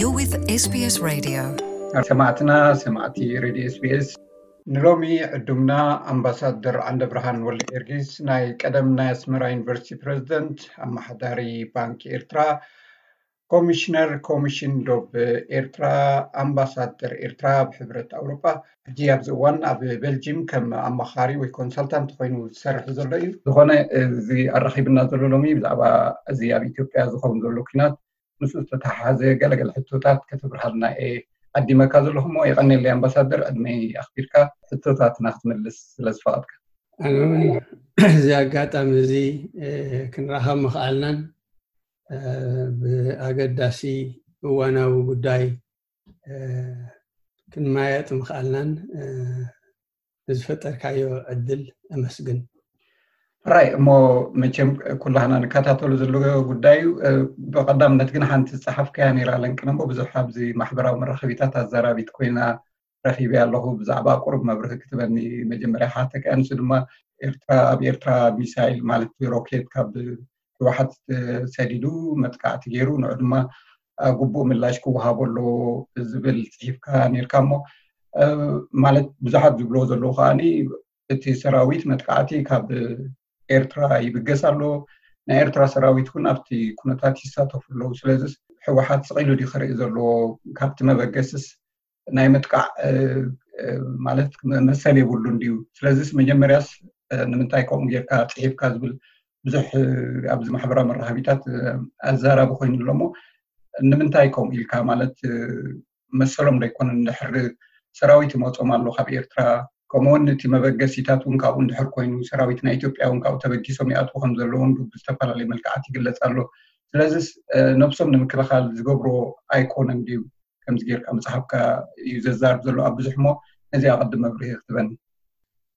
You're with S B S Radio. ሰማዕትና ሰማዕቲ ሬድዮ ኤስቢኤስ፣ ንሎሚ ዕዱምና ኣምባሳደር ዓንደብርሃን ወልደ ጊዮርጊስ፣ ናይ ቀደም ናይ ኣስመራ ዩኒቨርሲቲ ፕሬዚደንት፣ ኣመሓዳሪ ባንኪ ኤርትራ፣ ኮሚሽነር ኮሚሽን ዶብ ኤርትራ፣ ኣምባሳደር ኤርትራ ኣብ ሕብረት ኣውሮጳ፣ ሕጂ ኣብዚ እዋን ኣብ ቤልጂም ከም ኣማኻሪ ወይ ኮንሳልታንት ኮይኑ ዝሰርሕ ዘሎ እዩ። ዝኾነ፣ እዚ ኣራኺብና ዘሎ ሎሚ ብዛዕባ እዚ ኣብ ኢትዮጵያ ዝኸውን ዘሎ ኩናት፣ ምስ ዝተተሓሓዘ ገለገለ ሕቶታት ከተብርሃልና እየ ዓዲመካ ዘለኹ እሞ፣ የቐንየለይ ኣምባሳደር፣ ዕድመይ ኣኽቢርካ ሕቶታትና ክትምልስ ስለ ዝፈቐድካ። ኣነ እውን እዚ ኣጋጣሚ እዚ ክንራኸብ ምኽኣልናን ብኣገዳሲ እዋናዊ ጉዳይ ክንማየጥ ምኽኣልናን ንዝፈጠርካዮ ዕድል ኣመስግን። ራይ እሞ፣ መቸም ኩላህና ንከታተሉ ዘለዎ ጉዳይ እዩ። ብቐዳምነት ግን ሓንቲ ዝጸሓፍካያ ነይራ ለንቅነ እሞ፣ ብዙሕ ኣብዚ ማሕበራዊ መራኸቢታት ኣዘራቢት ኮይና ረኺበያ ኣለኹ። ብዛዕባ ቁሩብ መብርሂ ክትበኒ መጀመርያ ሓተካ። ንሱ ድማ ኤርትራ፣ ኣብ ኤርትራ ሚሳይል ማለት ሮኬት ካብ ህወሓት ሰዲዱ መጥቃዕቲ ገይሩ፣ ንዑ ድማ ግቡእ ምላሽ ክወሃቦ ኣለዎ ዝብል ጽሒፍካ ነይርካ እሞ፣ ማለት ብዙሓት ዝብልዎ ዘለዉ ከዓኒ እቲ ሰራዊት መጥቃዕቲ ካብ ኤርትራ ይብገስ ኣሎ፣ ናይ ኤርትራ ሰራዊት እውን ኣብቲ ኩነታት ይሳተፉ ኣለዉ። ስለዚ ህወሓት ስቕ ኢሉ ድዩ ክርኢ ዘለዎ? ካብቲ መበገስስ ናይ ምጥቃዕ ማለት መሰል የብሉን ድዩ? ስለዚስ መጀመርያስ ንምንታይ ከምኡ ጌርካ ጽሒፍካ ዝብል ብዙሕ ኣብዚ ማሕበራዊ መራኸቢታት ኣዛራቢ ኮይኑ ኣሎ እሞ፣ ንምንታይ ከምኡ ኢልካ? ማለት መሰሎም ዶ ኣይኮነን? እንድሕር ሰራዊት ይመጾም ኣሎ ካብ ኤርትራ፣ ከምኡውን እቲ መበገሲታት እውን ካብኡ እንድሕር ኮይኑ፣ ሰራዊት ናይ ኢትዮጵያ እውን ካብኡ ተበጊሶም ይኣትዉ ከም ዘለዉ እውን ብዝተፈላለዩ መልክዓት ይግለጽ ኣሎ። ስለዚስ ነብሶም ንምክልኻል ዝገብሮ ኣይኮነን ድዩ? ከምዚ ጌርካ ምጽሓፍካ እዩ ዘዛርብ ዘሎ ኣብ ብዙሕ እሞ፣ ነዚ ኣቐድም መብርሂ ክትበኒ።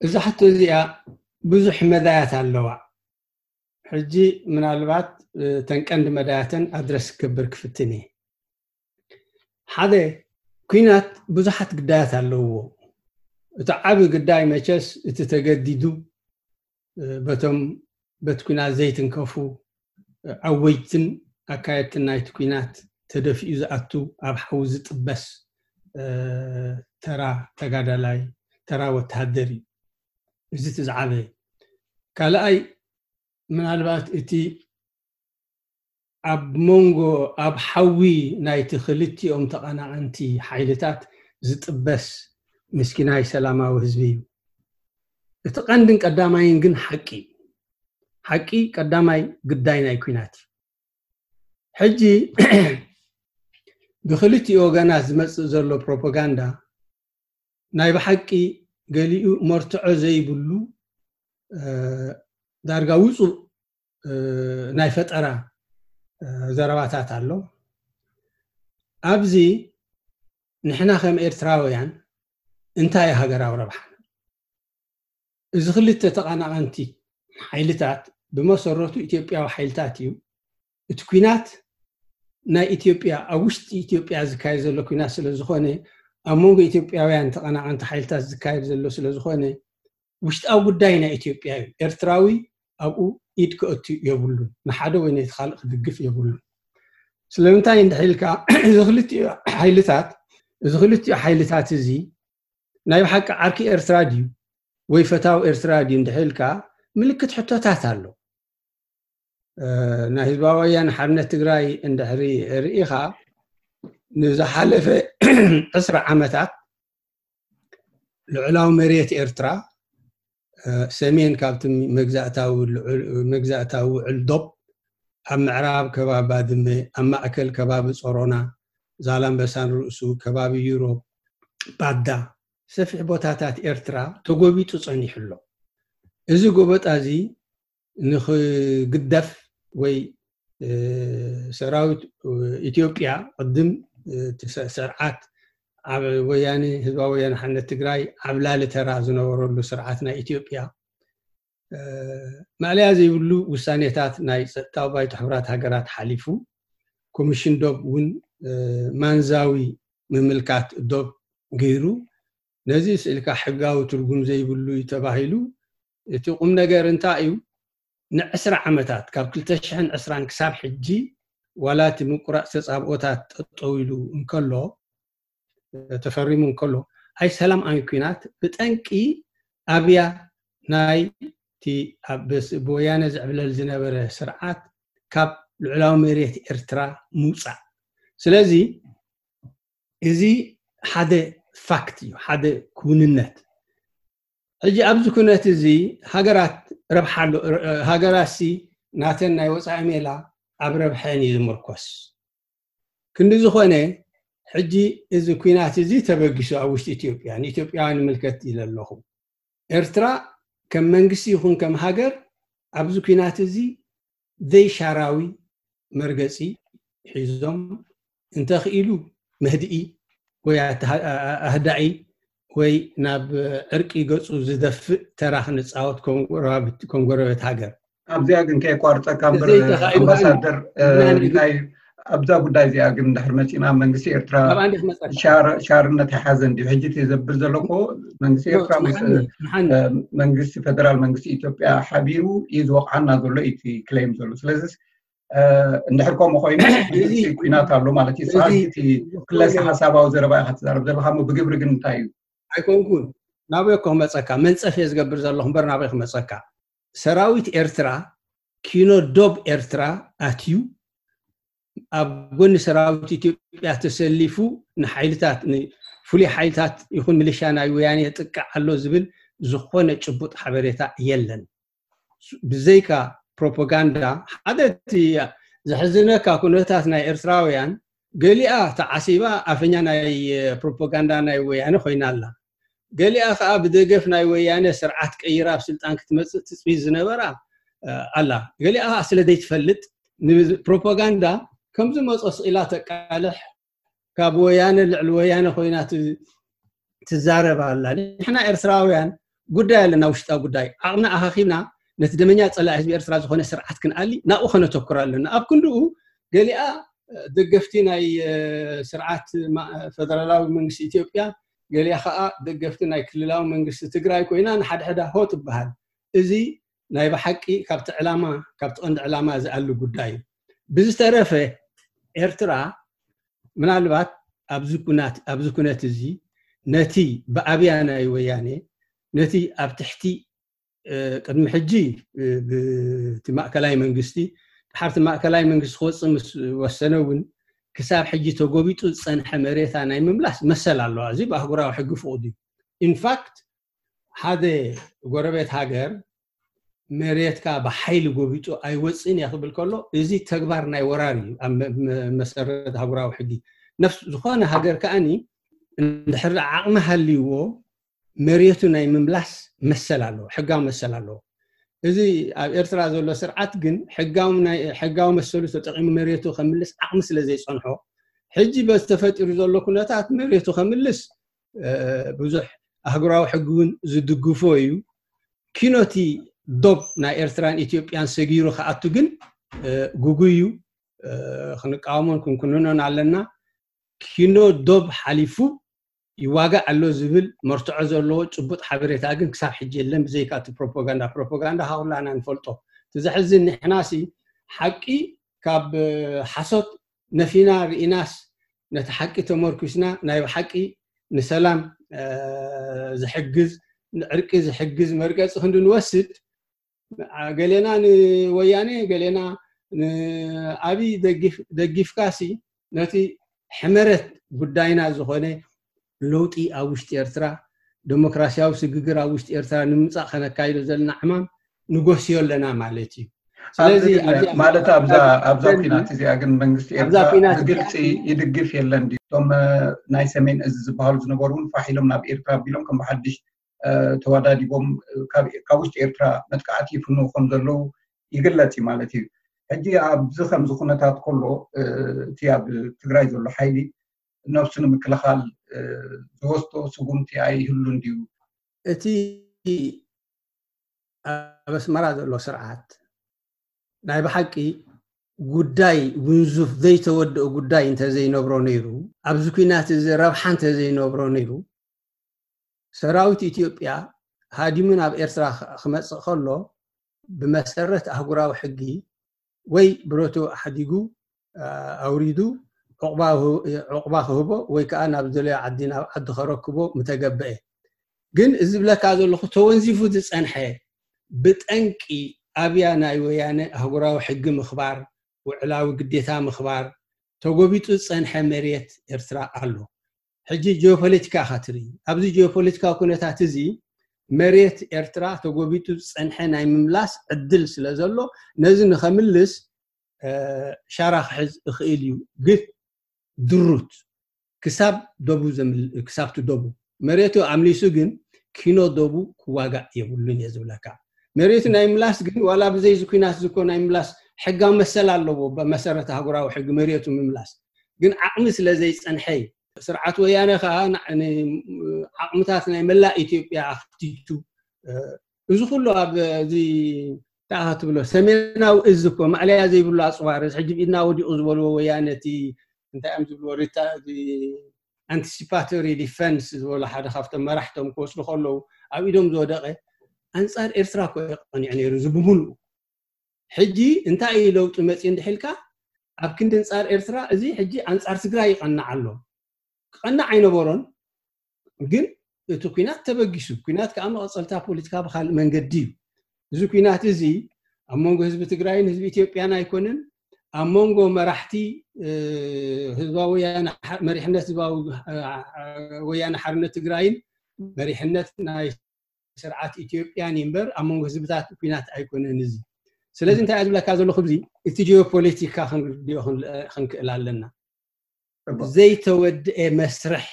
እዛ ሕቶ እዚኣ ብዙሕ መዳያት ኣለዋ። ሕጂ ምናልባት እተን ቀንዲ መዳያተን ኣድረስ ክገብር ክፍትን እየ። ሓደ፣ ኩናት ብዙሓት ግዳያት ኣለውዎ። እቲ ዓቢ ግዳይ መቸስ እቲ ተገዲዱ በቶም በቲ ኩናት ዘይትንከፉ ኣወጅትን ኣካየድትን ናይቲ ኩናት ተደፊኡ ዝኣቱ ኣብ ሓዊ ዝጥበስ ተራ ተጋዳላይ፣ ተራ ወተሃደር እዩ። እዚ እቲ ዝዓበየ። ካልኣይ፣ ምናልባት እቲ ኣብ መንጎ፣ ኣብ ሓዊ ናይቲ ክልቲኦም ተቐናቐንቲ ሓይልታት ዝጥበስ ምስኪናይ ሰላማዊ ህዝቢ እዩ። እቲ ቀንድን ቀዳማይን ግን ሓቂ እዩ። ሓቂ ቀዳማይ ግዳይ ናይ ኩናት እዩ። ሕጂ ብክልቲኡ ወገናት ዝመጽእ ዘሎ ፕሮፓጋንዳ ናይ ብሓቂ ገሊኡ መርትዖ ዘይብሉ ዳርጋ ውጹእ ናይ ፈጠራ ዘረባታት ኣሎ። ኣብዚ ንሕና ከም ኤርትራውያን እንታይ ሃገራዊ ረብሓ? እዚ ክልተ ተቐናቐንቲ ሓይልታት ብመሰረቱ ኢትዮጵያዊ ሓይልታት እዩ። እቲ ኩናት ናይ ኢትዮጵያ፣ ኣብ ውሽጢ ኢትዮጵያ ዝካየድ ዘሎ ኩናት ስለ ዝኾነ፣ ኣብ መንጎ ኢትዮጵያውያን ተቐናቐንቲ ሓይልታት ዝካየድ ዘሎ ስለ ዝኾነ፣ ውሽጣዊ ጉዳይ ናይ ኢትዮጵያ እዩ። ኤርትራዊ ኣብኡ ኢድ ክእቱ የብሉን። ንሓደ ወይ ነቲ ካልእ ክድግፍ የብሉን። ስለምንታይ እንድሕር ኢልካ፣ እዚ ክልቲኡ ሓይልታት፣ እዚ ክልቲኡ ሓይልታት እዚ ናይ ብሓቂ ዓርኪ ኤርትራ ድዩ ወይ ፈታዊ ኤርትራ ድዩ እንድሕር ኢልካ፣ ምልክት ሕቶታት ኣሎ። ናይ ህዝባዊ ወያነ ሓርነት ትግራይ እንድሕሪ ርኢኻ፣ ንዝሓለፈ ዕስራ ዓመታት ልዑላዊ መሬት ኤርትራ፣ ሰሜን ካብቲ መግዛእታዊ ልዑል፣ መግዛእታዊ ውዕል ዶብ፣ ኣብ ምዕራብ ከባቢ ባድመ፣ ኣብ ማእከል ከባቢ ጾሮና፣ ዛላምበሳን ርእሱ፣ ከባቢ ዩሮፕ፣ ባዳ፣ ሰፊሕ ቦታታት ኤርትራ ተጎቢጡ ጸኒሑ ኣሎ። እዚ ጎበጣ እዚ ንኽግደፍ ወይ ሰራዊት ኢትዮጵያ ቅድም እቲ ስርዓት ኣብ ወያነ፣ ህዝባዊ ወያነ ሓርነት ትግራይ ዓብላሊ ተራ ዝነበረሉ ስርዓት ናይ ኢትዮጵያ ማእለያ ዘይብሉ ውሳኔታት ናይ ጸጥታዊ ባይቶ ሕቡራት ሃገራት ሓሊፉ፣ ኮሚሽን ዶብ እውን ማንዛዊ ምምልካት ዶብ ገይሩ፣ ነዚ ስእልካ ሕጋዊ ትርጉም ዘይብሉ እዩ ተባሂሉ። እቲ ቁም ነገር እንታይ እዩ? ንዕስራ ዓመታት፣ ካብ ክልተ ሽሕን ዕስራን ክሳብ ሕጂ፣ ዋላ እቲ ምቁራፅ ተፃብኦታት ጠጠው ኢሉ እንከሎ፣ ተፈሪሙ እንከሎ፣ ኣይ ሰላም ኣይ ኩናት ብጠንቂ ኣብያ ናይ እቲ ኣብ ብስ- ብወያነ ዝዕብለል ዝነበረ ስርዓት ካብ ልዑላዊ መሬት ኤርትራ ምውፃእ። ስለዚ እዚ ሓደ ፋክት እዩ፣ ሓደ ክውንነት። ሕጂ ኣብዚ ኩነት እዚ ሃገራት ረብሓ ኣሎ፣ ሃገራት ሲ ናተን ናይ ወፃኢ ሜላ ኣብ ረብሐን እዩ ዝምርኮስ። ክንዲ ዝኾነ ሕጂ እዚ ኩናት እዚ ተበጊሱ ኣብ ውሽጢ ኢትዮጵያ ንኢትዮጵያውያን ይምልከት ኢለ ኣለኹ። ኤርትራ ከም መንግስቲ ይኹን ከም ሃገር ኣብዚ ኩናት እዚ ዘይሻራዊ መርገፂ ሒዞም እንተኽኢሉ መህድኢ ወይ ኣተሃ- ኣህዳኢ ወይ ናብ ዕርቂ ገፁ ዝደፍእ ተራ ክንፃወት ከም ጎረባብቲ- ከም ጎረቤት ሃገር ኣብዚኣ ግን ከየቋርፀካ እምበር ዘይተኻኢሉ ኣምባሳደር እንታይ ኣብዛ ጉዳይ እዚኣ ግን ድሕር መፂና መንግስቲ ኤርትራ ሻርነት ኣይሓዘን ድዩ ሕጂ እቲ ዘብል ዘለኮ መንግስቲ ኤርትራ መንግስቲ ፌደራል መንግስቲ ኢትዮጵያ ሓቢሩ እዩ ዝወቕዓና ዘሎ እቲ ክሌም ዘሎ ስለዚ እንድሕር ከምኡ ኮይኑ ኩናት ኣሎ ማለት እዩ ስርዓት እቲ ክለሰ ሓሳባዊ ዘረባ ኢካ ትዛረብ ዘለካ ሞ ብግብሪ ግን እንታይ እዩ ኣይኮንኩን ናበይ እኮ ክመፀካ መንፀፍ እየ ዝገብር ዘለኹ እምበር ናበይ ክመፀካ ሰራዊት ኤርትራ ኪኖ ዶብ ኤርትራ ኣትዩ ኣብ ጎኒ ሰራዊት ኢትዮጵያ ተሰሊፉ ንሓይልታት ፍሉይ ሓይልታት ይኹን ሚሊሻ ናይ ወያኔ የጥቅዕ ኣሎ ዝብል ዝኾነ ጭቡጥ ሓበሬታ የለን ብዘይካ ፕሮፓጋንዳ ሓደ እቲ ዘሕዝነካ ኩነታት ናይ ኤርትራውያን ገሊኣ ተዓሲባ ኣፈኛ ናይ ፕሮፓጋንዳ ናይ ወያነ ኮይና ኣላ ገሊኣ ከዓ ብደገፍ ናይ ወያነ ስርዓት ቀይራ ኣብ ስልጣን ክትመፅእ ትፅቢት ዝነበራ ኣላ ገሊኣ ከዓ ስለ ዘይትፈልጥ ንፕሮፓጋንዳ ከምዚ መፆ ስኢላ ተቃልሕ ካብ ወያነ ልዕሊ ወያነ ኮይና ትዛረብ ኣላ ንሕና ኤርትራውያን ጉዳይ ኣለና ውሽጣዊ ጉዳይ ዓቕምና ኣኻኺብና ነቲ ደመኛ ፀላኢ ህዝቢ ኤርትራ ዝኾነ ስርዓት ክንኣሊ ናብኡ ከነተኩር ኣለና ኣብ ክንድኡ ገሊኣ ደገፍቲ ናይ ስርዓት ፈደራላዊ መንግስቲ ኢትዮጵያ ገሊኣ ከዓ ደገፍቲ ናይ ክልላዊ መንግስቲ ትግራይ ኮይና ንሓድሕዳ ሆ ትበሃል እዚ ናይ ብሓቂ ካብቲ ዕላማ ካብቲ ቀንዲ ዕላማ ዝኣሊ ጉዳይ እዩ ብዝተረፈ ኤርትራ ምናልባት ኣብዚ ኩነት ኣብዚ ኩነት እዚ ነቲ ብኣብያ ናይ ወያኔ ነቲ ኣብ ትሕቲ ቅድሚ ሕጂ ብቲ ማእከላይ መንግስቲ ድሓርቲ ማእከላይ መንግስቲ ክወፅእ ምስ ወሰነ እውን ክሳብ ሕጂ ተጎቢጡ ዝፀንሐ መሬታ ናይ ምምላስ መሰል ኣለዋ እዚ ብኣህጉራዊ ሕጊ ፍቕዱ ኢንፋክት ሓደ ጎረቤት ሃገር መሬትካ ብሓይሊ ጎቢጡ ኣይወፅእን እያ ክብል ከሎ እዚ ተግባር ናይ ወራር እዩ ኣብ መሰረት ኣህጉራዊ ሕጊ ነፍስ ዝኾነ ሃገር ከዓኒ እንድሕር ዓቕሚ ሃልይዎ መሬቱ ናይ ምምላስ መሰል ኣለዎ ሕጋዊ መሰል ኣለዎ እዚ ኣብ ኤርትራ ዘሎ ስርዓት ግን ሕጋዊ መሰሉ ተጠቂሙ መሬቱ ከምልስ ዓቕሚ ስለ ዘይፀንሖ ሕጂ በዚ ተፈጢሩ ዘሎ ኩነታት መሬቱ ከምልስ ብዙሕ ኣህጉራዊ ሕጊ እውን ዝድግፎ እዩ ኪኖቲ ዶብ ናይ ኤርትራን ኢትዮጵያን ሰጊሩ ክኣቱ ግን ጉጉይ እዩ ክንቃወሞን ክንኩንኖን ኣለና ኪኖ ዶብ ሓሊፉ ይዋጋእ ኣሎ ዝብል መርትዖ ዘለዎ ጭቡጥ ሓበሬታ ግን ክሳብ ሕጂ የለን ብዘይካ እቲ ፕሮፓጋንዳ ፕሮፓጋንዳ ካኩላና ንፈልጦ እቲ ዘሕዝን ንሕናሲ ሓቂ ካብ ሓሶት ነፊና ርኢናስ ነቲ ሓቂ ተመርኩስና ናይ ብሓቂ ንሰላም ዝሕግዝ ንዕርቂ ዝሕግዝ መርገፂ ክንዲ ንወስድ ገሌና ንወያኔ ገሌና ንኣብይ ደጊፍካሲ ነቲ ሕመረት ጉዳይና ዝኾነ ለውጢ ኣብ ውሽጢ ኤርትራ ዴሞክራሲያዊ ስግግር ኣብ ውሽጢ ኤርትራ ንምምፃእ ከነካይዶ ዘለና ዕማም ንጎስዮ ኣለና ማለት እዩ ስለዚ ማለት ኣብዛ ኩናት እዚኣ ግን መንግስቲ ኤርትራ ብግልፂ ይድግፍ የለን እቶም ናይ ሰሜን እዚ ዝበሃሉ ዝነበሩ እውን ፋሕ ኢሎም ናብ ኤርትራ ኣቢሎም ከም ብሓድሽ ተወዳዲቦም ካብ ውሽጢ ኤርትራ መጥቃዕቲ ይፍንው ከም ዘለዉ ይግለፅ እዩ ማለት እዩ ሕጂ ኣብዚ ከምዚ ኩነታት ከሎ እቲ ኣብ ትግራይ ዘሎ ሓይሊ ነብሱ ንምክልኻል ዝወስዶ ስጉምቲ ኣይህሉን ድዩ እቲ ኣብ ኣስመራ ዘሎ ስርዓት ናይ ብሓቂ ጉዳይ ውንዙፍ ዘይተወደኦ ጉዳይ እንተዘይነብሮ ነይሩ ኣብዚ ኩናት እዚ ረብሓ እንተዘይነብሮ ነይሩ ሰራዊት ኢትዮጵያ ሃዲሙ ናብ ኤርትራ ክመፅእ ከሎ ብመሰረት ኣህጉራዊ ሕጊ ወይ ብረቱ ኣሕዲጉ ኣውሪዱ ዕቑባ ክህቦ ወይ ከዓ ናብ ዝደለዮ ዓዲ ናብ ዓዲ ከረክቦ ምተገበአ። ግን እዚ ዝብለካ ዘለኹ ተወንዚፉ ዝፀንሐ ብጠንቂ ኣብያ ናይ ወያነ ኣህጉራዊ ሕጊ ምኽባር፣ ውዕላዊ ግዴታ ምኽባር፣ ተጎቢጡ ዝፀንሐ መሬት ኤርትራ ኣሎ። ሕጂ ጂኦፖለቲካ ኢኻ ትርኢ። ኣብዚ ጂኦፖለቲካዊ ኩነታት እዚ መሬት ኤርትራ ተጎቢጡ ዝፀንሐ ናይ ምምላስ ዕድል ስለ ዘሎ ነዚ ንኸምልስ ሻራ ክሕዝ እኽእል እዩ። ግን ድሩት ክሳብ ደቡ ክሳብቲ ደቡ መሬቱ ኣምሊሱ ግን ኪኖ ደቡ ክዋጋእ የብሉን እየ ዝብለካ። መሬቱ ናይ ምላስ ግን ዋላ ብዘይ ዝኩናት ዝኮ ናይ ምላስ ሕጋዊ መሰል ኣለዎ። ብመሰረት ኣህጉራዊ ሕጊ መሬቱ ምምላስ ግን ዓቕሚ ስለ ዘይፀንሐ እዩ። ስርዓት ወያነ ከዓ ዓቕምታት ናይ መላእ ኢትዮጵያ ኣኽቲቱ እዚ ኩሉ ኣብ እዚ ታኻ ትብሎ ሰሜናዊ እዚ እኮ ማዕለያ ዘይብሉ ኣፅዋር ሕጂ ብኢድና ወዲቑ ዝበልዎ ወያነ እቲ እንታይ እዮም ዝብልዎ ሪታ ኣንቲሲፓቶሪ ዲፈንስ ዝበሉ ሓደ ካብቶም መራሕቶም ክወስዱ ከለዉ ኣብ ኢዶም ዝወደቐ ኣንፃር ኤርትራ እኮ የቐኒዑ ነይሩ እዚ ብምሉኡ። ሕጂ እንታይ እዩ ለውጢ መፅኡ እንድሕልካ ኣብ ክንዲ ኣንፃር ኤርትራ እዚ ሕጂ ኣንፃር ትግራይ ይቐናዕ ኣሎ። ክቐናዕ ኣይነበሮን። ግን እቲ ኩናት ተበጊሱ። ኩናት ከዓ መቐፀልታ ፖለቲካ ብካልእ መንገዲ እዩ። እዚ ኩናት እዚ ኣብ መንጎ ህዝቢ ትግራይን ህዝቢ ኢትዮጵያን ኣይኮነን። ኣብ መንጎ መራሕቲ ህዝባዊ መሪሕነት ህዝባዊ ወያነ ሓርነት ትግራይን መሪሕነት ናይ ስርዓት ኢትዮጵያን እምበር ኣብ መንጎ ህዝብታት ኩናት ኣይኮነን እዚ። ስለዚ እንታይ ዝብለካ ዘለኹ እዚ እቲ ጂኦፖለቲካ ክንርድኦ ክንክእል ኣለና። ዘይተወድአ መስርሕ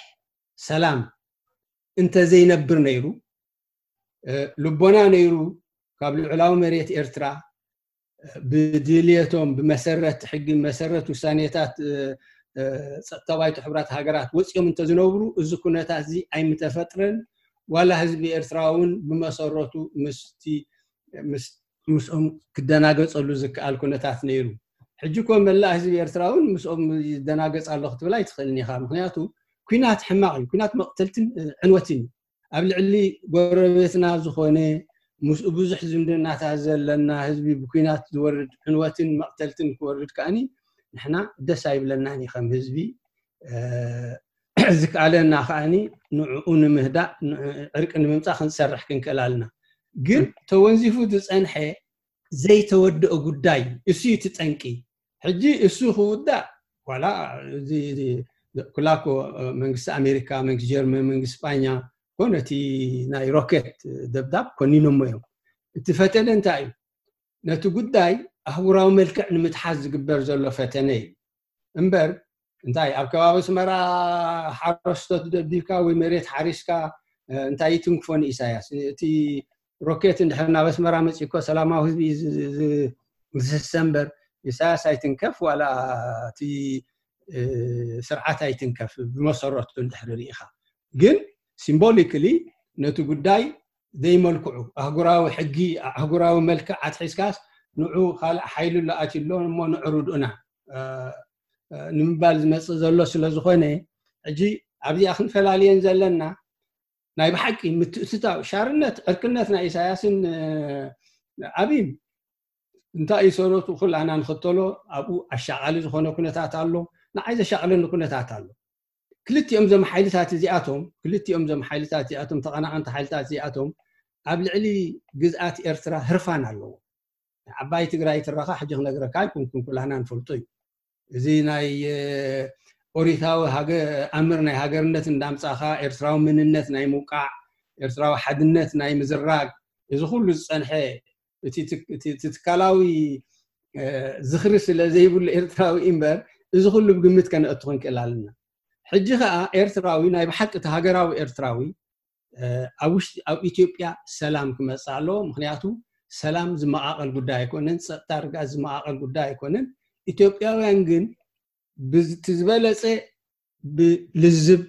ሰላም እንተዘይነብር ነይሩ ልቦና ነይሩ ካብ ልዑላዊ መሬት ኤርትራ ብድልየቶም ብመሰረት ሕጊ መሰረት ውሳኔታት ጸጥታ ባይቶ ሕብራት ሃገራት ወፂኦም እንተዝነብሩ እዚ ኩነታት እዚ ኣይምተፈጥረን። ዋላ ህዝቢ ኤርትራ እውን ብመሰረቱ ምስቲ ምስኦም ክደናገፀሉ ዝከኣል ኩነታት ነይሩ። ሕጂ ኮ መላእ ህዝቢ ኤርትራ እውን ምስኦም ይደናገፅ ኣሎ ክትብል ኣይትኽእልን ኢኻ። ምክንያቱ ኩናት ሕማቕ እዩ። ኩናት መቕተልትን ዕንወትን እዩ። ኣብ ልዕሊ ጎረቤትና ዝኾነ ምስኡ ብዙሕ ዝምድናታት ዘለና ህዝቢ ብኩናት ዝወርድ ዕንወትን መቕተልትን ክወርድ ከኣኒ ንሕና ደስ ኣይብለናን እዩ ከም ህዝቢ። ዝከኣለና ከኣኒ ንዕኡ ንምህዳእ ዕርቂ ንምምፃእ ክንሰርሕ ክንክእል ኣለና። ግን ተወንዚፉ ዝፀንሐ ዘይተወደኦ ጉዳይ እሱ እዩ እቲ ጠንቂ። ሕጂ እሱ ክውዳእ ዋላ ኩላኮ መንግስቲ ኣሜሪካ መንግስቲ ጀርመን መንግስቲ ስጳኛ ኮነ እቲ ናይ ሮኬት ደብዳብ ኮኒኖሞ እዮም። እቲ ፈተነ እንታይ እዩ? ነቲ ጉዳይ ኣህጉራዊ መልክዕ ንምትሓዝ ዝግበር ዘሎ ፈተነ እዩ እምበር እንታይ ኣብ ከባቢ ኣስመራ ሓረስቶት ደብዲብካ ወይ መሬት ሓሪስካ እንታይ ይትንክፎ ንኢሳያስ? እቲ ሮኬት እንድሕር ናብ ኣስመራ መፂእኮ ሰላማዊ ህዝቢ ዝስሰ እምበር ኢሳያስ ኣይትንከፍ ዋላ እቲ ስርዓት ኣይትንከፍ ብመሰረቱ እንድሕር ርኢኻ። ግን ሲምቦሊክሊ ነቲ ጉዳይ ዘይመልክዑ ኣህጉራዊ ሕጊ ኣህጉራዊ መልክዕ ኣትሒዝካስ ንዑ ካልእ ሓይሊ ኣሎ ኣትዩ ኣሎ እሞ ንዑ ርድኡና ንምባል ዝመፅእ ዘሎ ስለ ዝኾነ ሕጂ ኣብዚኣ ክንፈላልየን ዘለና ናይ ብሓቂ ምትእትታው ሻርነት ዕርክነት ናይ ኢሳያስን ኣብይን እንታይ እዩ ሰረቱ ኩላና ንኽተሎ ኣብኡ ኣሻቓሊ ዝኾነ ኩነታት ኣሎ። ንዓይ ዘሻቕለኒ ኩነታት ኣሎ። ክልቲኦም ዞም ሓይልታት እዚኣቶም ክልቲኦም ዞም ሓይልታት እዚኣቶም ተቐናቐንቲ ሓይልታት እዚኣቶም ኣብ ልዕሊ ግዝኣት ኤርትራ ህርፋን ኣለዎ። ዓባይ ትግራይ ትረኻ ሕጂ ክነግረካ ኣይኮንኩን ኩላና ንፈልጦ እዩ። እዚ ናይ ኦሪታዊ ኣምር ናይ ሃገርነት እንዳምፃኻ ኤርትራዊ መንነት ናይ ምውቃዕ ኤርትራዊ ሓድነት ናይ ምዝራግ እዚ ኩሉ ዝፀንሐ እቲ ትካላዊ ዝኽሪ ስለ ዘይብሉ ኤርትራዊ እምበር እዚ ኩሉ ብግምት ከነእቱ ክንክእል ኣለና። ሕጂ ከዓ ኤርትራዊ ናይ ብሓቂ እቲ ሃገራዊ ኤርትራዊ ኣብ ውሽጢ ኣብ ኢትዮጵያ ሰላም ክመፅእ ኣለዎ። ምክንያቱ ሰላም ዝመቃቀል ጉዳይ ኣይኮነን፣ ፀጥታ ርግኣት ዝመቃቀል ጉዳይ ኣይኮነን። ኢትዮጵያውያን ግን ብዝቲ ዝበለፀ ብልዝብ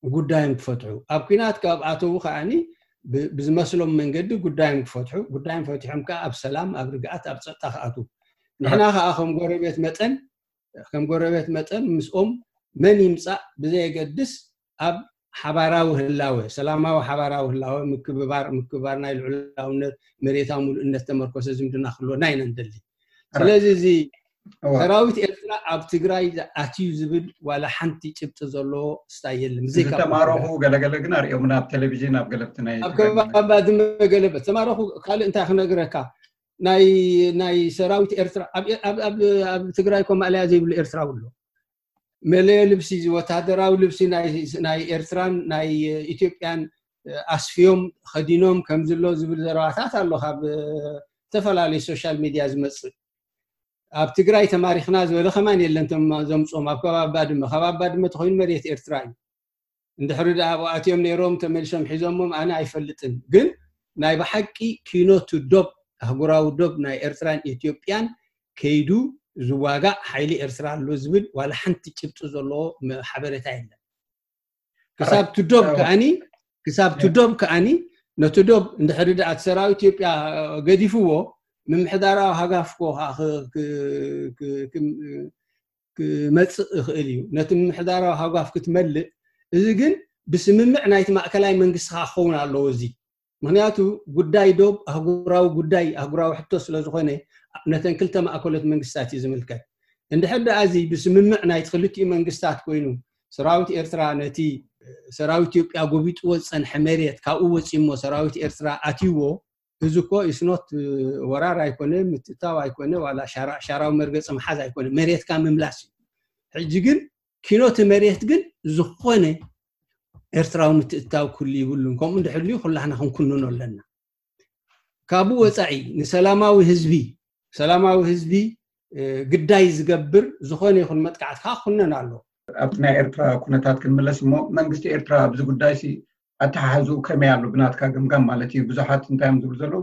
ጉዳዮም ክፈትሑ ኣብ ኩናት ካብ ኣተዉ ከዓኒ ብዝመስሎም መንገዲ ጉዳዮም ክፈትሑ ጉዳዮም ፈቲሖም ከዓ ኣብ ሰላም ኣብ ርግኣት ኣብ ፀጥታ ክኣትዉ ንሕና ከዓ ከም ጎረቤት መጠን ከም ጎረቤት መጠን ምስኦም መን ይምፃእ ብዘየገድስ ኣብ ሓባራዊ ህላወ ሰላማዊ ሓባራዊ ህላወ ምክብባር ምክብባር ናይ ልዑላውነት መሬታዊ ሙሉእነት ተመርኮሰ ዝምድና ክህልወና ኢና ንደሊ። ስለዚ እዚ ሰራዊት ኤርትራ ኣብ ትግራይ ኣትዩ ዝብል ዋላ ሓንቲ ጭብጢ ዘለዎ ስታይ የለን። ብዘይካ ዝተማረኹ ገለገለ ግን ኣርእዮምና ኣብ ቴሌቪዥን ኣብ ገለብቲ ናይ ኣብ ከባቢ ባድመ ገለበት ተማረኹ። ካልእ እንታይ ክነግረካ፣ ናይ ናይ ሰራዊት ኤርትራ ኣብ ትግራይ ኮ ማእለያ ዘይብሉ ኤርትራዊ ኣሎ። መለዮ ልብሲ፣ ወታደራዊ ልብሲ ናይ ኤርትራን ናይ ኢትዮጵያን ኣስፍዮም ከዲኖም ከምዝሎ ዝብል ዘረባታት ኣሎ ካብ ዝተፈላለዩ ሶሻል ሚድያ ዝመፅእ። ኣብ ትግራይ ተማሪኽና ዝበለ ከማን የለን። ዘምፅኦም ኣብ ከባቢ ባድመ፣ ከባቢ ባድመ ተኮይኑ መሬት ኤርትራ እዩ። እንድሕሪ ደኣ ኣብኡ ኣትዮም ነይሮም ተመልሶም ሒዞሞም ኣነ ኣይፈልጥን። ግን ናይ ብሓቂ ኪኖ ቱ ዶብ፣ ኣህጉራዊ ዶብ ናይ ኤርትራን ኢትዮጵያን ከይዱ ዝዋጋእ ሓይሊ ኤርትራ ኣሎ ዝብል ዋላ ሓንቲ ጭብጢ ዘለዎ ሓበሬታ የለን። ክሳብ ቱ ዶብ ከኣኒ ክሳብ ቱ ዶብ ከኣኒ ነቲ ዶብ እንድሕሪ ደኣ እቲ ሰራዊት ኢትዮጵያ ገዲፍዎ ምምሕዳራዊ ሃጋፍ ኮ ክመፅእ ይኽእል እዩ። ነቲ ምምሕዳራዊ ሃጓፍ ክትመልእ፣ እዚ ግን ብስምምዕ ናይቲ ማእከላይ መንግስቲ ከዓ ክኸውን ኣለዎ። እዚ ምክንያቱ ጉዳይ ዶብ ኣህጉራዊ ጉዳይ ኣህጉራዊ ሕቶ ስለዝኾነ ነተን ክልተ ማእከሎት መንግስታት እዩ ዝምልከት። እንድሕር ደኣ እዚ ብስምምዕ ናይቲ ክልቲኡ መንግስታት ኮይኑ ሰራዊት ኤርትራ ነቲ ሰራዊት ኢትዮጵያ ጎቢጥዎ ዝፀንሐ መሬት ካብኡ ወፂሞ ሰራዊት ኤርትራ ኣትይዎ፣ እዚ እኮ ኢስኖት ወራር ኣይኮነ፣ ምትእታው ኣይኮነ፣ ዋላ ሻራዊ መርገፂ ምሓዝ ኣይኮነ፣ መሬትካ ምምላስ እዩ። ሕጂ ግን ኪኖቲ መሬት ግን ዝኾነ ኤርትራዊ ምትእታው ክህሉ ይብሉን። ከምኡ እንድሕልዩ ኩላህና ክንኩንኖ ኣለና። ካብኡ ወፃኢ ንሰላማዊ ህዝቢ ሰላማዊ ህዝቢ ግዳይ ዝገብር ዝኾነ ይኹን መጥቃዕቲ ከዓ ክኩነን ኣሎ። ኣብቲ ናይ ኤርትራ ኩነታት ክንምለስ እሞ መንግስቲ ኤርትራ ኣብዚ ጉዳይ ሲ ኣተሓሕዝኡ ከመይ ኣሎ ብናትካ ገምጋም ማለት እዩ? ብዙሓት እንታይ እዮም ዝብሉ ዘለዉ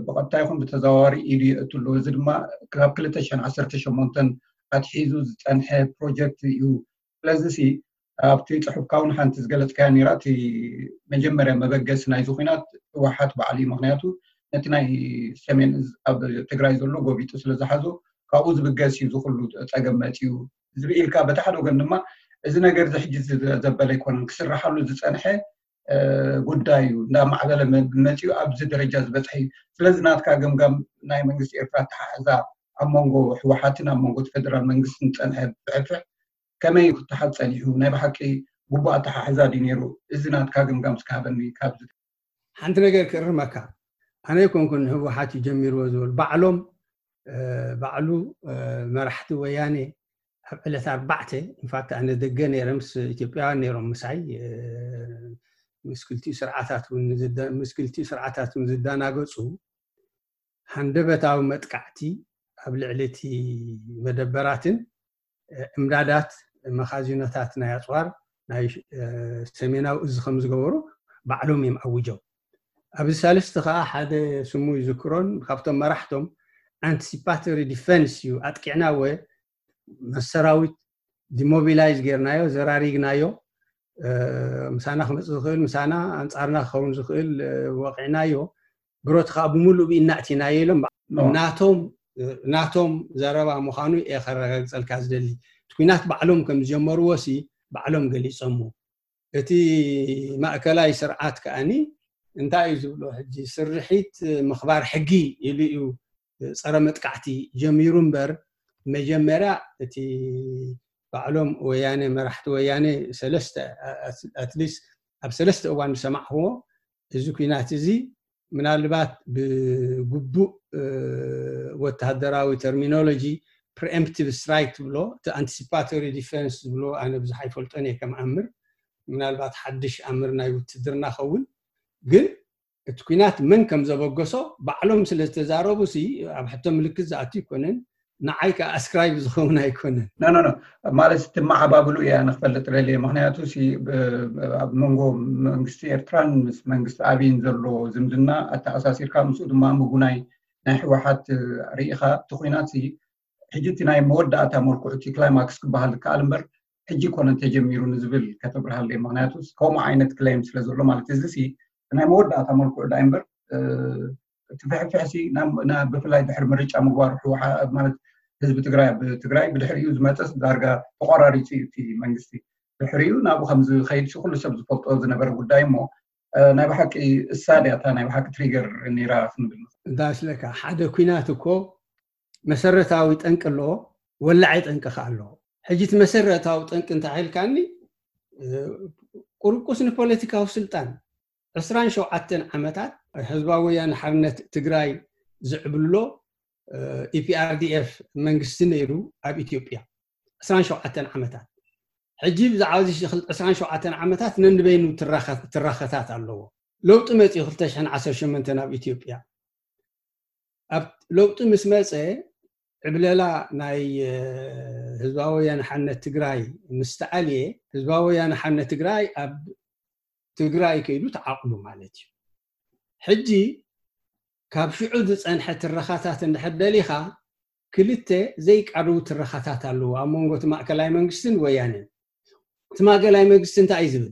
ብቐጥታ ይኹን ብተዘዋዋሪ ኢዱ የእቱ ኣለዉ። እዚ ድማ ካብ ክልተ ሽሕን ዓሰርተ ሸሞንተን ኣትሒዙ ዝፀንሐ ፕሮጀክት እዩ። ስለዚ ሲ ኣብቲ ፅሑፍካ እውን ሓንቲ ዝገለፅካያ ነይራ። እቲ መጀመርያ መበገሲ ናይዚ ኩናት ህወሓት ባዕሉ እዩ። ምክንያቱ ነቲ ናይ ሰሜን እዝ ኣብ ትግራይ ዘሎ ጎቢጡ ስለዝሓዞ ካብኡ ዝብገስ እዩ ዝኩሉ ፀገም መፂኡ ዝብል ኢልካ፣ በቲ ሓደ ወገን ድማ እዚ ነገር እዚ ሕጂ ዘበለ ኣይኮነን፣ ክስርሓሉ ዝፀንሐ ጉዳይ እዩ። እንዳማዕበለ መፂኡ ኣብዚ ደረጃ ዝበፅሐ እዩ። ስለዚ ናትካ ገምጋም ናይ መንግስቲ ኤርትራ ኣተሓሕዛ ኣብ መንጎ ህወሓትን ኣብ መንጎ እቲ ፌደራል መንግስትን ዝፀንሐ ብሕፍሕ ከመይ እዩ ክተሓዝ ፀኒሑ? ናይ ብሓቂ ግቡእ ኣተሓሕዛ ድዩ ነይሩ? እዚ ናትካ ገምጋም እስኪ ሃበኒ። ካብዚ ሓንቲ ነገር ክእርመካ፣ ኣነ ኣይኮንኩን ህወሓት እዩ ጀሚርዎ ዝበሉ ባዕሎም ባዕሉ መራሕቲ ወያኔ ኣብ ዕለት ኣርባዕተ ኢንፋክት ኣነ ደገ ነይረ ምስ ኢትዮጵያውያን ነይሮም ምሳይ ምስ ክልቲኡ ስርዓታት እውን ዝዳናገፁ ሃንደበታዊ መጥቃዕቲ ኣብ ልዕሊ እቲ መደበራትን እምዳዳት መኻዚኖታት ናይ ኣፅዋር ናይ ሰሜናዊ እዚ ከም ዝገበሩ ባዕሎም እዮም ኣውጀው። ኣብዚ ሳልስቲ ከዓ ሓደ ስሙ ይዝክሮን ካብቶም መራሕቶም ኣንቲሲፓቶሪ ዲፈንስ እዩ ኣጥቂዕና ወ መሰራዊት ዲሞቢላይዝ ጌርናዮ ዘራሪግናዮ ምሳና ክመፅእ ዝኽእል ምሳና ኣንፃርና ክኸውን ዝኽእል ወቂዕናዮ ብረቱ ከዓ ብምሉእ ብኢድና ኣእቲናዮ ኢሎም ናቶም ናቶም ዘረባ ምዃኑ እየ ከረጋግፀልካ ዝደሊ። እቲ ኩናት ባዕሎም ከም ዝጀመርዎ ሲ ባዕሎም ገሊፆሞ። እቲ ማእከላይ ስርዓት ከኣኒ እንታይ እዩ ዝብሎ ሕጂ ስርሒት ምኽባር ሕጊ ኢሉ እዩ ፀረ መጥቃዕቲ ጀሚሩ እምበር መጀመርያ እቲ ባዕሎም ወያነ መራሕቲ ወያነ ሰለስተ ኣትሊስት ኣብ ሰለስተ እዋን ዝሰማዕክዎ እዚ ኩናት እዚ ምናልባት ብግቡእ ወተሃደራዊ ተርሚኖሎጂ ፕሪኤምፕቲቭ ስትራይክ ትብሎ እቲ ኣንቲሲፓቶሪ ዲፈንስ ዝብሎ ኣነ ብዙሕ ኣይፈልጦን እየ ከም ኣምር ምናልባት ሓድሽ ኣምር ናይ ውትድርና ኸውን ግን እቲ ኩናት መን ከም ዘበገሶ ባዕሎም ስለ ዝተዛረቡ ሲ ኣብ ሕቶ ምልክት ዝኣቱ ኣይኮነን ንዓይ ከዓ ኣስክራይብ ዝኸውን ኣይኮነን ኖ ኖ ኖ ማለት ትመዓባብሉ እያ ንክፈልጥ ደልየ ምክንያቱ ሲ ኣብ መንጎ መንግስቲ ኤርትራን ምስ መንግስቲ ኣብይን ዘሎ ዝምድና ኣተኣሳሲርካ ምስኡ ድማ ምጉናይ ናይ ህወሓት ርኢኻ እቲ ኩናት ሲ ሕጂ እቲ ናይ መወዳእታ መልክዑ እቲ ክላይማክስ ክበሃል ዝከኣል እምበር ሕጂ ኮነ ተጀሚሩ ንዝብል ከተብርሃለይ ምክንያቱ ከምኡ ዓይነት ክለይም ስለ ዘሎ ማለት እዚ ሲ ናይ መወዳእታ መልክዑ ዳ እምበር እቲ ፍሕፍሕሲ ብፍላይ ድሕሪ ምርጫ ምግባሩ ማለት ህዝቢ ትግራይ ኣብ ትግራይ ብድሕሪኡ ዝመፀስ ዳርጋ ተቆራሪፁ እዩ እቲ መንግስቲ ድሕሪኡ ናብኡ ከም ዝኸይድ ኩሉ ሰብ ዝፈልጦ ዝነበረ ጉዳይ እሞ ናይ ብሓቂ እሳ ድያ እታ ናይ ብሓቂ ትሪገር ነይራ ክንብል እንታይ ስለካ ሓደ ኩናት እኮ መሰረታዊ ጠንቂ ኣለዎ፣ ወላዒ ጠንቂ ከኣ ኣለዎ። ሕጂ እቲ መሰረታዊ ጠንቂ እንታይ ኢልካኒ? ቁርቁስ ንፖለቲካዊ ስልጣን ዕስራን ሸውዓተን ዓመታት ህዝባዊ ወያነ ሓርነት ትግራይ ዝዕብሎ ኢፒኣርዲኤፍ መንግስቲ ነይሩ ኣብ ኢትዮጵያ ዕስራን ሸውዓተን ዓመታት። ሕጂ ብዛዕባ እዚ ዕስራን ሸውዓተን ዓመታት ነንበይኑ ትራኸታት ኣለዎ። ለውጢ መፅኡ ክልተ ሽሕን ዓሰርተ ሸሞንተን ኣብ ኢትዮጵያ። ኣብ ለውጢ ምስ መፀ ዕብለላ ናይ ህዝባዊ ወያነ ሓርነት ትግራይ ምስ ተኣልየ፣ ህዝባዊ ወያነ ሓርነት ትግራይ ኣብ ትግራይ ከይዱ ተዓቕቡ ማለት እዩ። ሕጂ ካብ ሽዑ ዝፀንሐ ትረኻታት እንድሕር ደሊኻ ክልተ ዘይቃርቡ ትረኻታት ኣለዉ ኣብ መንጎ እቲ ማእከላይ መንግስትን ወያነን። እቲ ማእከላይ መንግስቲ እንታይ እዩ ዝብል?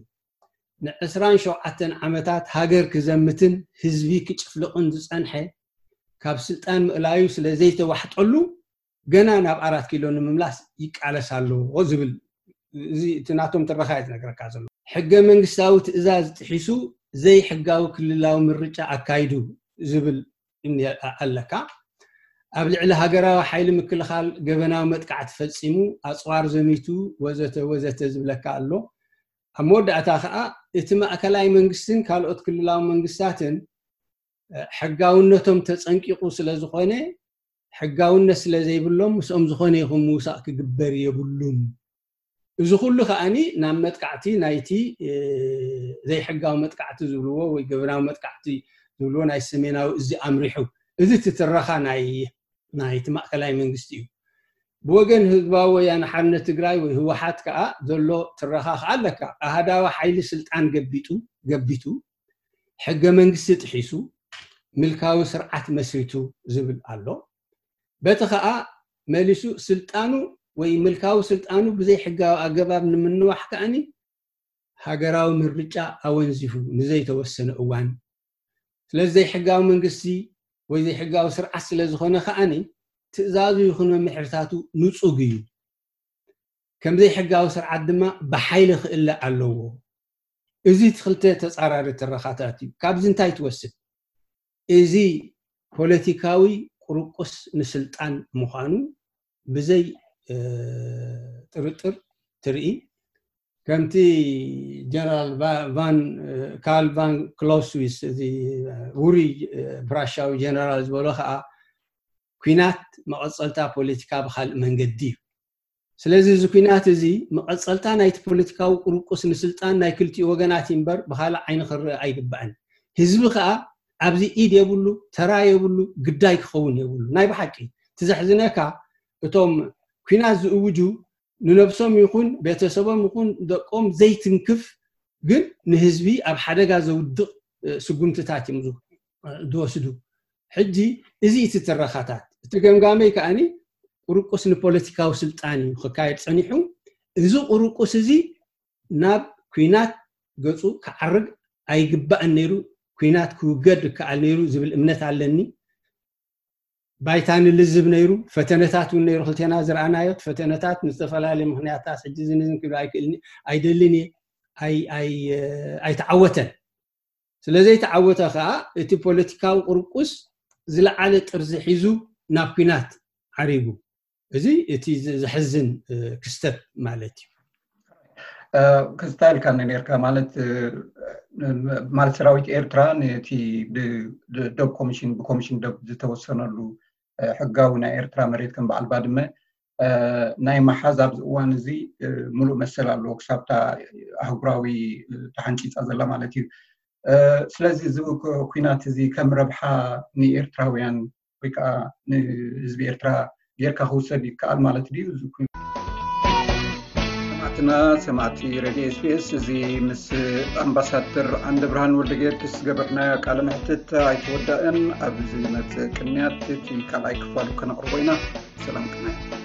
ንዕስራን ሸውዓተን ዓመታት ሃገር ክዘምትን ህዝቢ ክጭፍልቕን ዝፀንሐ ካብ ስልጣን ምእላዩ ስለ ዘይተዋሕጠሉ ገና ናብ ኣራት ኪሎ ንምምላስ ይቃለስ ኣሎ ዝብል፣ እዚ እቲ ናቶም ትረኻ እዩ ዝነግረካ ዘሎ። ሕገ መንግስታዊ ትእዛዝ ጥሒሱ ዘይሕጋዊ ክልላዊ ምርጫ ኣካይዱ ዝብል እኒ-፣ ኣለካ። ኣብ ልዕሊ ሃገራዊ ሓይሊ ምክልኻል ገበናዊ መጥቃዕቲ ፈጺሙ፣ ኣጽዋር ዘሚቱ፣ ወዘተ ወዘተ ዝብለካ ኣሎ። ኣብ መወዳእታ ከኣ እቲ ማእከላይ መንግስትን ካልኦት ክልላዊ መንግስታትን ሕጋውነቶም ተጸንቂቑ ስለ ዝኾነ፣ ሕጋውነት ስለ ዘይብሎም ምስኦም ዝኾነ ይኹን ምውሳእ ክግበር የብሉን። እዚ ኩሉ ከኣኒ ናብ መጥቃዕቲ ናይቲ ዘይሕጋዊ መጥቃዕቲ ዝብልዎ ወይ ገበናዊ መጥቃዕቲ ዝብልዎ ናይ ሰሜናዊ እዚ ኣምሪሑ። እዚ ትትረኻ ናይ ናይቲ ማእከላይ መንግስቲ እዩ። ብወገን ህዝባዊ ወያነ ሓርነት ትግራይ ወይ ህወሓት ከኣ ዘሎ ትረኻ ከኣ ኣለካ። ኣሃዳዊ ሓይሊ ስልጣን ገቢጡ ገቢቱ ሕገ መንግስቲ ጥሒሱ ምልካዊ ስርዓት መስሪቱ ዝብል ኣሎ። በቲ ከኣ መሊሱ ስልጣኑ ወይ ምልካዊ ስልጣኑ ብዘይ ሕጋዊ ኣገባብ ንምንዋሕ ከኣኒ ሃገራዊ ምርጫ ኣወንዚፉ ንዘይተወሰነ እዋን። ስለዚ ዘይሕጋዊ መንግስቲ ወይ ዘይሕጋዊ ስርዓት ስለ ዝኾነ ከኣኒ ትእዛዙ ይኹን መምሕርታቱ ንጹግ እዩ። ከም ዘይሕጋዊ ስርዓት ድማ ብሓይሊ ክእለ ኣለዎ። እዚ እቲ ክልተ ተጻራሪ ትረኻታት እዩ። ካብዚ እንታይ ትወስድ? እዚ ፖለቲካዊ ቁርቁስ ንስልጣን ምዃኑ ብዘይ ጥርጥር ትርኢ። ከምቲ ጀነራል ቫን ካል ቫን ክሎስዊስ፣ እዚ ውሩይ ፕራሻዊ ጀነራል ዝበሎ ከዓ ኩናት መቐፀልታ ፖለቲካ ብካልእ መንገዲ እዩ። ስለዚ እዚ ኩናት እዚ መቐፀልታ ናይቲ ፖለቲካዊ ቁርቁስ ንስልጣን ናይ ክልቲኡ ወገናት እምበር ብካልእ ዓይኒ ክረአ ኣይግባእን። ህዝቢ ከዓ ኣብዚ ኢድ የብሉ፣ ተራ የብሉ፣ ግዳይ ክኸውን የብሉ። ናይ ብሓቂ ትዘሕዝነካ እቶም ኩናት ዝእውጁ ንነብሶም ይኹን ቤተሰቦም ይኹን ደቆም ዘይትንክፍ ግን ንህዝቢ ኣብ ሓደጋ ዘውድቕ ስጉምትታት እዮም ዝወስዱ። ሕጂ እዚ እቲ ትረኻታት እቲ ገምጋመይ ከዓኒ ቁርቁስ ንፖለቲካዊ ስልጣን እዩ ክካየድ ፀኒሑ። እዚ ቁርቁስ እዚ ናብ ኩናት ገፁ ክዓርግ ኣይግባእን ነይሩ። ኩናት ክውገድ ይከኣል ነይሩ ዝብል እምነት ኣለኒ። ባይታ ንልዝብ ነይሩ፣ ፈተነታት እውን ነይሩ። ክልቴና ዝረኣናዮ ፈተነታት ንዝተፈላለየ ምክንያታት ሕጂ ዝንዝን ክብል ኣይክእልን ኣይደልን እየ። ኣይተዓወተን። ስለዘይተዓወተ ከዓ እቲ ፖለቲካዊ ቁርቁስ ዝለዓለ ጥርዚ ሒዙ ናብ ኩናት ዓሪጉ። እዚ እቲ ዘሕዝን ክስተት ማለት እዩ። ክስታ ኢልካ ነርካ ማለት ማለት ሰራዊት ኤርትራ ነቲ ዶብ ኮሚሽን ብኮሚሽን ዶብ ዝተወሰነሉ ሕጋዊ ናይ ኤርትራ መሬት ከም በዓል ባድመ ናይ መሓዝ ኣብዚ እዋን እዚ ሙሉእ መሰል ኣለዎ ክሳብታ ኣህጉራዊ ተሓንፂፃ ዘላ ማለት እዩ። ስለዚ እዚ ኩናት እዚ ከም ረብሓ ንኤርትራውያን ወይ ከዓ ንህዝቢ ኤርትራ ጌርካ ክውሰድ ይከኣል ማለት ድዩ? ሰማዕትና ሰማዕቲ ሬድዮ ኤስቢኤስ እዚ ምስ ኣምባሳደር ዓንደ ብርሃን ወልደ ጊዮርጊስ ዝገበርናዮ ቃለ መሕትት ኣይተወዳእን። ኣብ ዝመፅእ ቅንያት እቲ ካልኣይ ክፋሉ ከነቕርቦ ኢና። ሰላም ቅንያት።